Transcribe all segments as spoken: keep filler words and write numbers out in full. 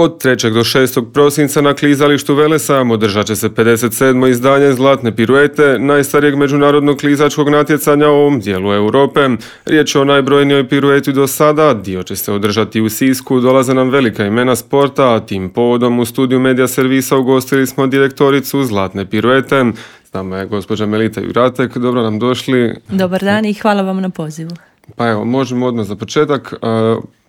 Od trećeg do šestog prosinca na klizalištu Velesajam održat će se pedeset sedmo izdanje Zlatne piruete, najstarijeg međunarodnog klizačkog natjecanja u ovom dijelu Europe. Riječ je o najbrojnijoj pirueti do sada, dio će se održati u Sisku, dolaze nam velika imena sporta, a tim povodom u studiju Medija servisa ugostili smo direktoricu Zlatne piruete. S nama je gospođa Melita Juratek, dobro nam došli. Dobar dan i hvala vam na pozivu. Pa evo, možemo odmah za početak.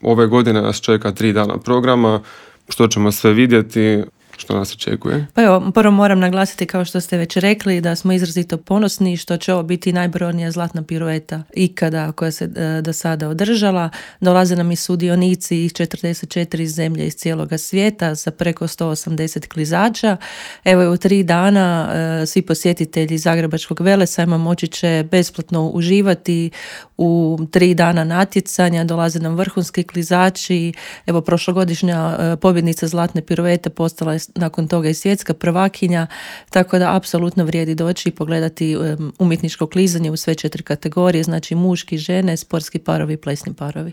Ove godine nas čeka tri dana programa. Što ćemo sve vidjeti, što nas očekuje? Pa evo, prvo moram naglasiti, kao što ste već rekli, da smo izrazito ponosni što će ovo biti najbrojnija zlatna pirueta ikada koja se e, do sada održala. Dolaze nam i sudionici iz četrdeset četiri zemlje iz cijeloga svijeta sa preko sto osamdeset klizača. Evo, u tri dana e, svi posjetitelji Zagrebačkog Velesajma moći će besplatno uživati u tri dana natjecanja. Dolaze nam vrhunski klizači. Evo, prošlogodišnja e, pobjednica zlatne piruete postala je nakon toga i svjetska prvakinja, tako da apsolutno vrijedi doći i pogledati um, umjetničko klizanje u sve četiri kategorije, znači muški, žene, sportski parovi i plesni parovi.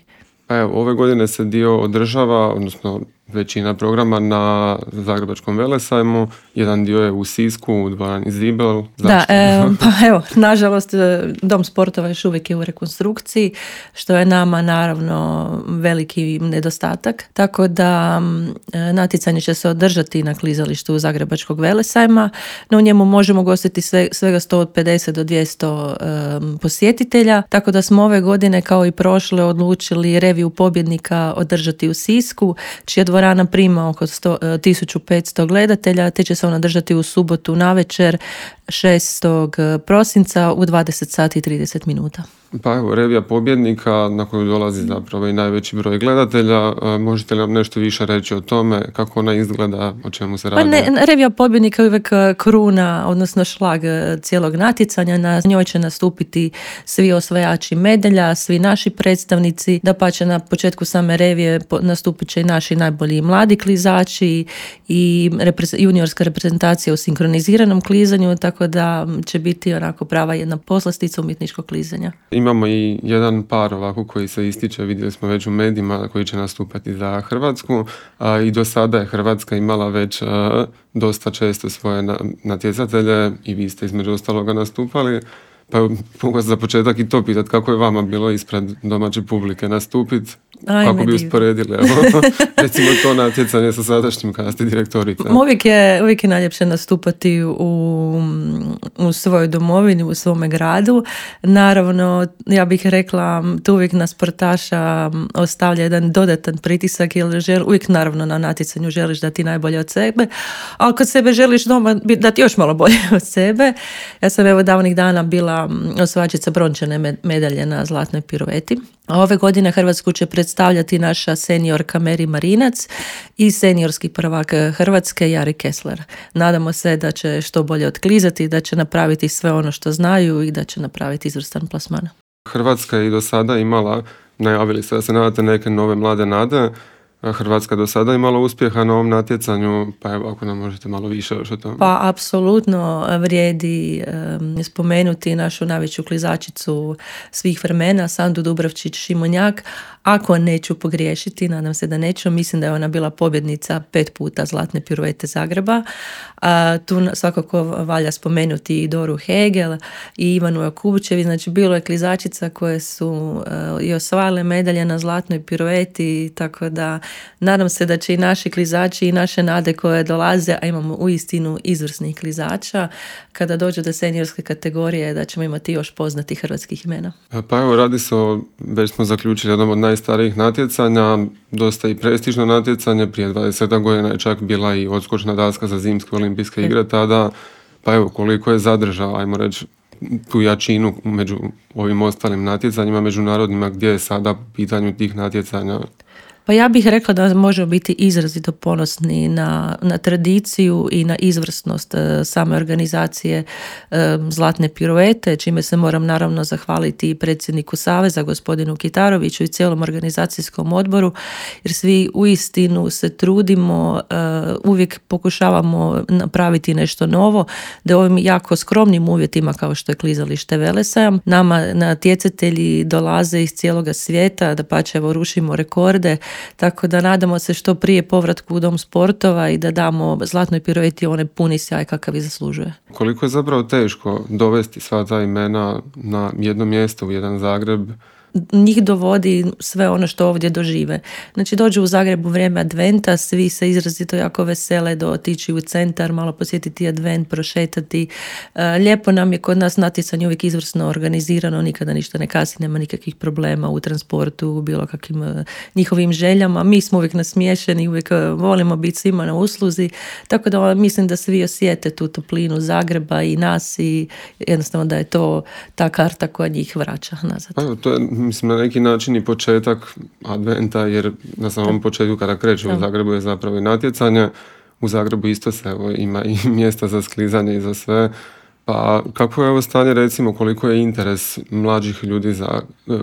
Evo, ove godine se dio održava, odnosno većina programa na Zagrebačkom Velesajmu, jedan dio je u Sisku, u dvorani Zibel. Da, e, pa evo, nažalost, dom sportova još uvijek je u rekonstrukciji, što je nama naravno veliki nedostatak, tako da natjecanje će se održati na klizalištu Zagrebačkog Velesajma, no u njemu možemo gostiti sve, svega sto pedeset do dvjesto um, posjetitelja, tako da smo ove godine kao i prošle odlučili reviju pobjednika održati u Sisku, čija dvorana prima oko tisuću petsto gledatelja, te će se ona držati u subotu navečer šestog prosinca u dvadeset sati i trideset minuta. Pa evo, revija pobjednika na koju dolazi zapravo i najveći broj gledatelja. Možete li nam nešto više reći o tome, kako ona izgleda, o čemu se radi? Pa ne, revija pobjednika je uvijek kruna, odnosno šlag cijelog natjecanja. Na njoj će nastupiti svi osvajači medalja, svi naši predstavnici. Dapače, na početku same revije nastupit će i naši najbolji mladi klizači i juniorska reprezentacija u sinkroniziranom klizanju, tako da će biti onako prava jedna poslastica umjetničkog klizanja. Imamo i jedan par ovako koji se ističe, vidjeli smo već u medijima, koji će nastupati za Hrvatsku, a, i do sada je Hrvatska imala već a, dosta često svoje na, natjecatelje i vi ste između ostaloga nastupali. Pa mogu vas za početak i to pitati, kako je vama bilo ispred domaće publike nastupiti? Kako bi usporedili, evo, recimo to natjecanje sa sadašnjim kada ste direktorica? Uvijek je, uvijek je najljepše nastupati u, u svojoj domovini, u svome gradu. Naravno, ja bih rekla, tu uvijek na sportaša ostavlja jedan dodatan pritisak, jer žel, uvijek naravno na natjecanju želiš dati najbolje od sebe, ali kod sebe želiš doma dati još malo bolje od sebe. Ja sam evo davnih dana bila osvajačica brončane medalje na zlatnoj pirueti. A ove godine Hrvatsku će predstavljati naša seniorka Meri Marinac i seniorski prvak Hrvatske Jari Kessler. Nadamo se da će što bolje otklizati, da će napraviti sve ono što znaju i da će napraviti izvrstan plasman. Hrvatska je i do sada imala, najavili ste da se nadate neke nove mlade nade. Hrvatska do sada imala uspjeha na ovom natjecanju, pa evo ako nam možete malo više još o tome. Pa apsolutno vrijedi um, spomenuti našu najveću klizačicu svih vremena, Sandu Dubravčić-Šimunjak. Ako neću pogriješiti, nadam se da neću, mislim da je ona bila pobjednica pet puta zlatne piruete Zagreba. A, tu svakako valja spomenuti i Doru Hegel i Ivanu Jakubučevi, znači bilo je klizačica koje su uh, i osvajale medalje na zlatnoj pirueti, tako da nadam se da će i naši klizači i naše nade koje dolaze, a imamo uistinu izvrsnih klizača, kada dođe do seniorske kategorije da ćemo imati još poznatih hrvatskih imena. Pa evo, radi se o, već smo zaključili, jednom od najstarijih natjecanja, dosta i prestižno natjecanje, prije dvadeset godina je čak bila i odskočna daska za zimske olimpijske igre tada, pa evo koliko je zadržao, ajmo reći, tu jačinu među ovim ostalim natjecanjima međunarodnima, gdje je sada pitanju tih natjecanja? Pa ja bih rekla da možemo biti izrazito ponosni na, na tradiciju i na izvrsnost e, same organizacije e, Zlatne piruete, čime se moram naravno zahvaliti i predsjedniku Saveza, gospodinu Kitaroviću i cijelom organizacijskom odboru, jer svi uistinu se trudimo, e, uvijek pokušavamo napraviti nešto novo, da u ovim jako skromnim uvjetima kao što je klizalište Velesajam, nama natjecatelji dolaze iz cijeloga svijeta, da pače evo rušimo rekorde, tako da nadamo se što prije povratku u dom sportova i da damo zlatnoj pirueti onaj puni sjaj kakav i zaslužuje. Koliko je zapravo teško dovesti sva ta imena na jedno mjesto, u jedan Zagreb? Njih dovodi sve ono što ovdje dožive. Znači dođu u Zagreb u vrijeme adventa, svi se izrazito jako vesele do otići u centar, malo posjetiti advent, prošetati. Lijepo nam je kod nas natjecanje uvijek izvrsno organizirano, nikada ništa ne kasni, nema nikakvih problema u transportu, u bilo kakvim njihovim željama. Mi smo uvijek nasmiješeni, uvijek volimo biti svima na usluzi, tako da mislim da svi osjete tu toplinu Zagreba i nas i jednostavno da je to ta karta koja njih vraća nazad. Pa, to je mislim na neki način i početak adventa, jer na samom početku kada kreće u Zagrebu je zapravo i natjecanje. U Zagrebu isto se evo, ima i mjesta za sklizanje i za sve. Pa kako je ovo stanje, recimo, koliko je interes mlađih ljudi za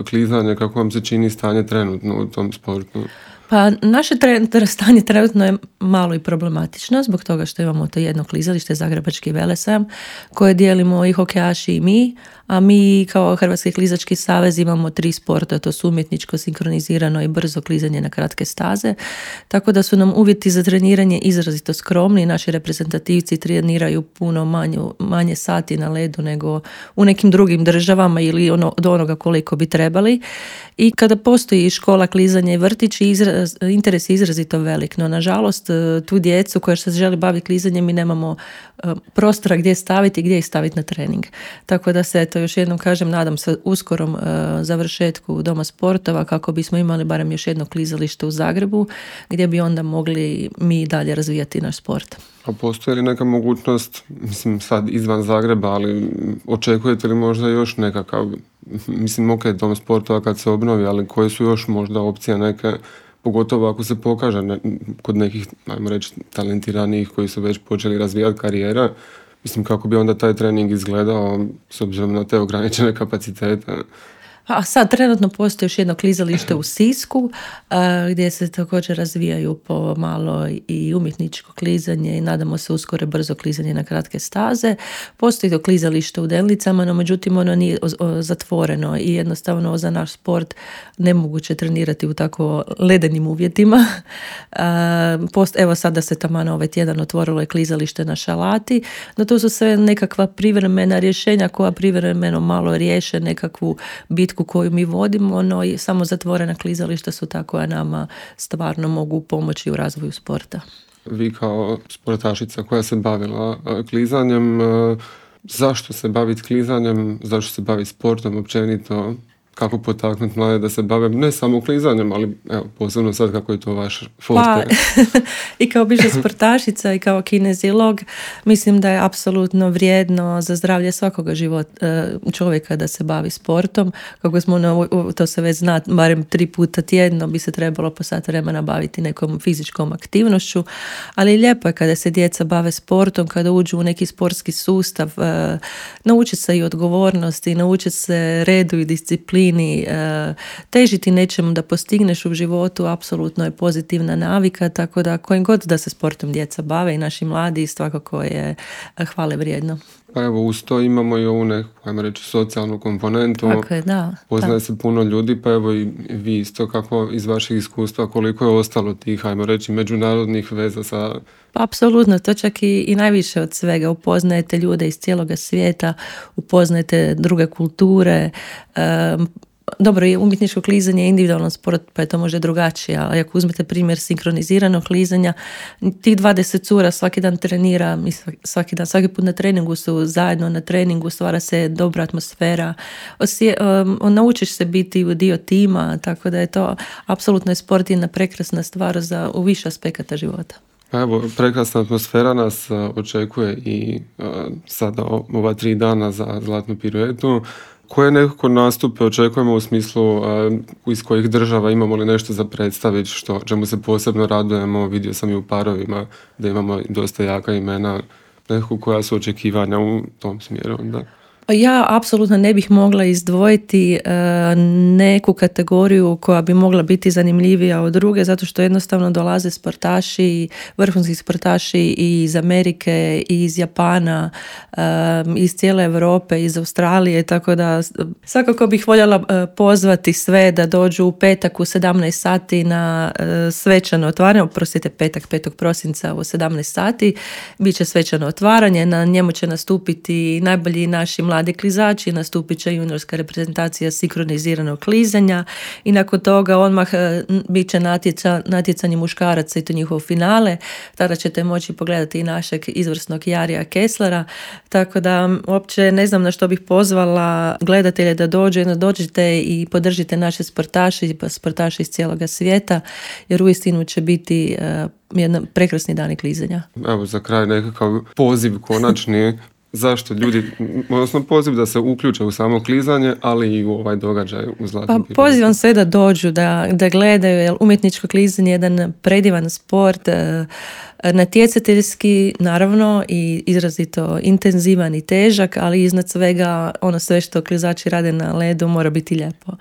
klizanje, kako vam se čini stanje trenutno u tom sportu? Pa naše tre- stanje trenutno je malo i problematično zbog toga što imamo to jedno klizalište, Zagrebački velesajam, koje dijelimo i hokejaši i mi, a mi kao Hrvatski klizački savez imamo tri sporta, to su umjetničko, sinkronizirano i brzo klizanje na kratke staze, tako da su nam uvjeti za treniranje izrazito skromni. Naši reprezentativci treniraju puno manju, manje sati na ledu nego u nekim drugim državama ili ono, od onoga koliko bi trebali. I kada postoji škola klizanja i vrtić, izraz, interes je izrazito velik, no nažalost tu djecu koja se želi baviti klizanjem mi nemamo uh, prostora gdje staviti i gdje ih staviti na trening. Tako da se, to još jednom kažem, nadam se uskorom uh, završetku doma sportova kako bismo imali barem još jedno klizalište u Zagrebu gdje bi onda mogli mi dalje razvijati naš sport. A postoji li neka mogućnost, mislim sad izvan Zagreba, ali očekujete li možda još nekakav, mislim ok, dom sportova kad se obnovi, ali koje su još možda opcije neke, pogotovo ako se pokaže ne, kod nekih, ajmo reći, talentiranijih koji su već počeli razvijati karijere, mislim kako bi onda taj trening izgledao s obzirom na te ograničene kapacitete. A sad trenutno postoji još jedno klizalište u Sisku a, gdje se također razvijaju po malo i umjetničko klizanje i nadamo se uskoro brzo klizanje na kratke staze. Postoji to klizalište u Delnicama, no međutim ono nije o, o, zatvoreno i jednostavno za naš sport nemoguće trenirati u tako ledenim uvjetima. A, post, evo sada se taman ovaj tjedan otvorilo je klizalište na Šalati, no to su sve nekakva privremena rješenja koja privremeno malo riješe nekakvu bitku koju mi vodimo, no i samo zatvorena klizališta su ta koja nama stvarno mogu pomoći u razvoju sporta. Vi kao sportašica koja se bavila klizanjem, zašto se baviti klizanjem, zašto se baviti sportom općenito? Kako potaknuti mlade da se bave ne samo klizanjem, ali evo, posebno sad kako je to vaš forte? Pa, i kao bivša sportašica i kao kinezilog, mislim da je apsolutno vrijedno za zdravlje svakoga života čovjeka da se bavi sportom. Kako smo, na, to se već zna, barem tri puta tjedno bi se trebalo po sat vremena baviti nekom fizičkom aktivnošću, ali lijepo je kada se djeca bave sportom, kada uđu u neki sportski sustav, nauče se i odgovornosti, nauče se redu i disciplini, težiti nečemu da postigneš u životu apsolutno je pozitivna navika, tako da kojim god da se sportom djeca bave i naši mladi svakako je hvale vrijedno. Pa evo, uz to imamo i ovu neku, ajmo reći, socijalnu komponentu. Tako je, da. Poznaje da. se puno ljudi, pa evo i vi isto kako iz vašeg iskustva, koliko je ostalo tih, ajmo reći, međunarodnih veza sa... Pa apsolutno, to čak i, i najviše od svega. Upoznajete ljude iz cijeloga svijeta, upoznajete druge kulture. Um, Dobro, umjetničko klizanje je individualan sport, pa je to možda drugačije, ali ako uzmete primjer sinkroniziranog klizanja, tih dvadeset cura svaki dan trenira, svaki dan, svaki put na treningu su zajedno na treningu, stvara se dobra atmosfera, Osje, um, naučiš se biti dio tima, tako da je to apsolutno je sport jedna prekrasna stvar za u više aspekata života. Evo, prekrasna atmosfera nas uh, očekuje i uh, sada ova tri dana za zlatnu piruetu. Koje nekako nastupe očekujemo u smislu uh, iz kojih država, imamo li nešto za predstaviti, što čemu se posebno radujemo? Vidio sam i u parovima da imamo dosta jaka imena, nekako koja su očekivanja u tom smjeru onda. Ja apsolutno ne bih mogla izdvojiti e, neku kategoriju koja bi mogla biti zanimljivija od druge, zato što jednostavno dolaze sportaši, vrhunski sportaši i iz Amerike, i iz Japana, e, iz cijele Europe, iz Australije, tako da svakako bih voljela e, pozvati sve da dođu u petak u sedamnaest sati na e, svečano otvaranje, oprostite, petak petog prosinca u sedamnaest sati, bit će svečano otvaranje, na njemu će nastupiti najbolji naši mladi klizači, nastupit će juniorska reprezentacija sinkroniziranog klizanja i nakon toga odmah bit će natjeca, natjecanje muškaraca i to njihovo finale. Tada ćete moći pogledati i našeg izvrsnog Jarija Kesslera, tako da uopće ne znam na što bih pozvala gledatelje da dođu, jedno dođite i podržite naše sportaše i sportaše iz cijeloga svijeta, jer uistinu će biti uh, jedan prekrasni dani klizanja. Evo za kraj nekakav poziv konačni. Zašto ljudi, odnosno poziv da se uključe u samo klizanje, ali i u ovaj događaj u Zlatnom Pa pozivam sve da dođu, da, da gledaju, jer umjetničko klizanje je jedan predivan sport, natjecateljski naravno i izrazito intenzivan i težak, ali iznad svega ono sve što klizači rade na ledu mora biti lijepo.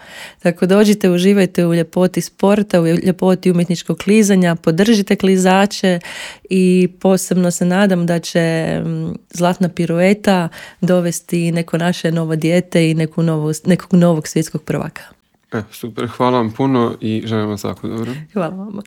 Tako dođite, uživajte u ljepoti sporta, u ljepoti umjetničkog klizanja, podržite klizače i posebno se nadam da će Zlatna pirueta dovesti neko naše novo dijete i neku novu, nekog novog svjetskog prvaka. E, super, hvala vam puno i želim vam svako dobro. Hvala vam.